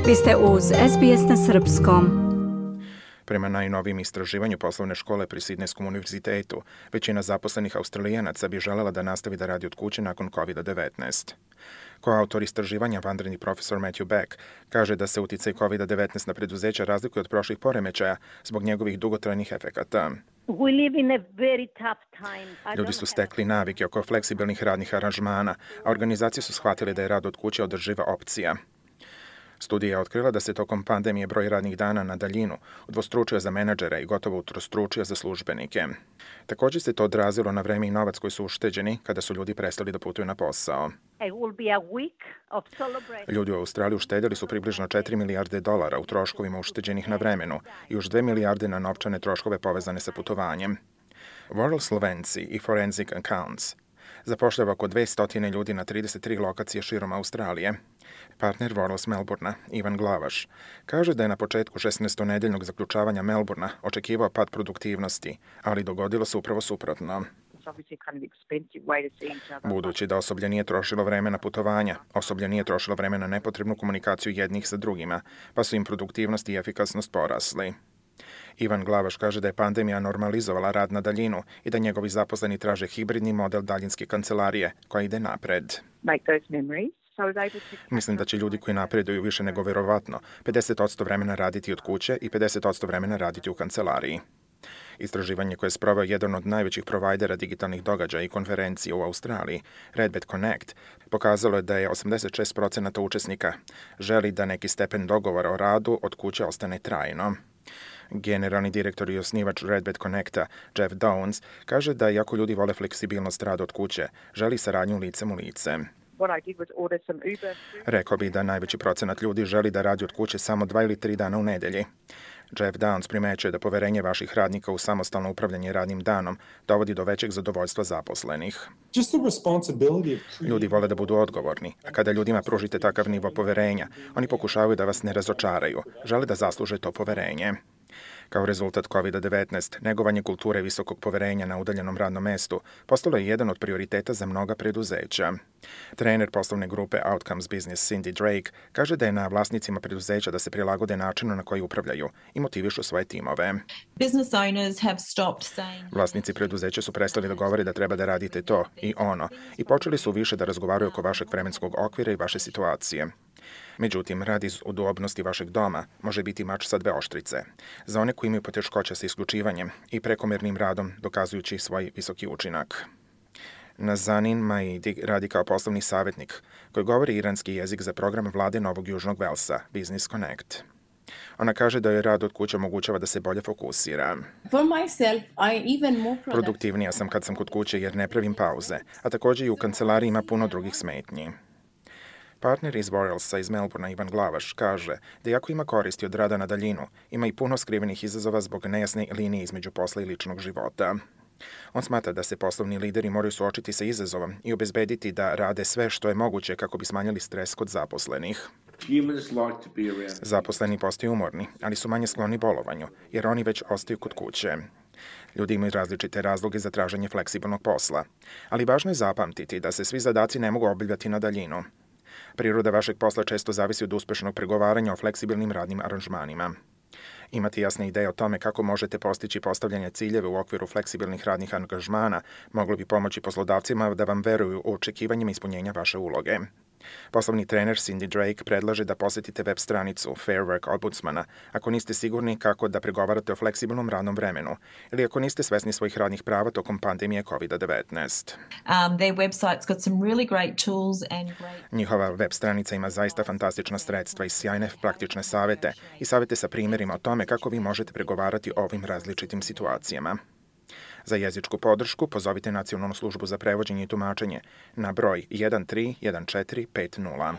Vi ste uz SBS na srpskom. Prema najnovijem istraživanju poslovne škole pri Sidnejskom univerzitetu, većina zaposlenih Australijanaca bi želela da nastavi da radi od kuće nakon COVID-19. Koautor istraživanja, vanredni profesor Matthew Beck, kaže da se uticaj COVID-19 na preduzeća razlikuje od prošlih poremećaja zbog njegovih dugotrajnih efekata. Ljudi su stekli navike oko fleksibilnih radnih aranžmana, a organizacije su shvatile da je rad od kuće održiva opcija. Studija je otkrila da se tokom pandemije broj radnih dana na daljinu udvostručio za menadžere i gotovo utrostručio za službenike. Također se to odrazilo na vreme i novac koji su ušteđeni kada su ljudi prestali da putuju na posao. Ljudi u Australiji uštedjeli su približno 4 milijarde dolara u troškovima ušteđenih na vremenu i još 2 milijarde na novčane troškove povezane sa putovanjem. World Slovenci i Forensic Accounts zapošljava oko 200 ljudi na 33 lokacije širom Australije. Partner Worlds Melbournea, Ivan Glavaš, kaže da je na početku 16-nedeljnog zaključavanja Melbournea očekivao pad produktivnosti, ali dogodilo se upravo suprotno. Budući da osoblje nije trošilo vreme na putovanja, osoblje nije trošilo vreme na nepotrebnu komunikaciju jednih sa drugima, pa su im produktivnost i efikasnost porasli. Ivan Glavaš kaže da je pandemija normalizovala rad na daljinu i da njegovi zaposleni traže hibridni model daljinske kancelarije koja ide napred. Mislim da će ljudi koji napreduju više nego verovatno 50% vremena raditi od kuće i 50% vremena raditi u kancelariji. Istraživanje koje je sproveo jedan od najvećih provajdera digitalnih događaja i konferencija u Australiji, Redbed Connect, pokazalo je da je 86% učesnika želi da neki stepen dogovora o radu od kuće ostane trajno. Generalni direktor i osnivač Redbed Connecta, Jeff Downs, kaže da iako ljudi vole fleksibilnost rada od kuće, želi saradnju licem u lice. Rekao bi da najveći procenat ljudi želi da radi od kuće samo 2 ili 3 dana u nedelji. Jeff Downs primećuje da poverenje vaših radnika u samostalno upravljanje radnim danom dovodi do većeg zadovoljstva zaposlenih. Ljudi vole da budu odgovorni, a kada ljudima pružite takav nivo poverenja, oni pokušavaju da vas ne razočaraju, žele da zasluže to poverenje. Kao rezultat COVID-19, negovanje kulture visokog poverenja na udaljenom radnom mestu postalo je jedan od prioriteta za mnoga preduzeća. Trener poslovne grupe Outcomes Business Cindy Drake kaže da je na vlasnicima preduzeća da se prilagode načinu na koji upravljaju i motivišu svoje timove. Vlasnici preduzeća su prestali da govore da treba da radite to i ono i počeli su više da razgovaraju oko vašeg vremenskog okvira i vaše situacije. Međutim, rad iz udobnosti vašeg doma može biti mač sa dve oštrice. Za one koji imaju poteškoća sa isključivanjem i prekomernim radom dokazujući svoj visoki učinak. Nazanin Maidi radi kao poslovni savjetnik koji govori iranski jezik za program vlade Novog Južnog Velsa, Business Connect. Ona kaže da joj rad od kuće omogućava da se bolje fokusira. Produktivnija sam kad sam kod kuće jer ne pravim pauze, a također i u kancelariji ima puno drugih smetnji. Partner iz Worldsa iz Melbournea Ivan Glavaš kaže da iako ima koristi od rada na daljinu, ima i puno skrivenih izazova zbog nejasne linije između posla i ličnog života. On smatra da se poslovni lideri moraju suočiti sa izazovom i obezbediti da rade sve što je moguće kako bi smanjili stres kod zaposlenih. Zaposleni postaju umorni, ali su manje skloni bolovanju, jer oni već ostaju kod kuće. Ljudi imaju različite razloge za traženje fleksibilnog posla, ali važno je zapamtiti da se svi zadaci ne mogu obavljati na daljinu. Priroda vašeg posla često zavisi od uspešnog pregovaranja o fleksibilnim radnim aranžmanima. Imati jasne ideje o tome kako možete postići postavljanje ciljeve u okviru fleksibilnih radnih angažmana moglo bi pomoći poslodavcima da vam veruju u očekivanjima ispunjenja vaše uloge. Poslovni trener Cindy Drake predlaže da posjetite web stranicu Fair Work Ombudsmana ako niste sigurni kako da pregovarate o fleksibilnom radnom vremenu ili ako niste svesni svojih radnih prava tokom pandemije COVID-19. Njihova web stranica ima zaista fantastična sredstva i sjajne praktične savete i savete sa primjerima o tome kako vi možete pregovarati o ovim različitim situacijama. Za jezičku podršku pozovite Nacionalnu službu za prevođenje i tumačenje na broj 131450.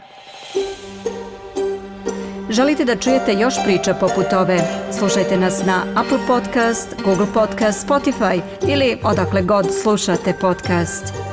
Želite da čujete još priča poput ove? Slušajte nas na Apple Podcast, Google Podcast, Spotify ili odakle god slušate podcast.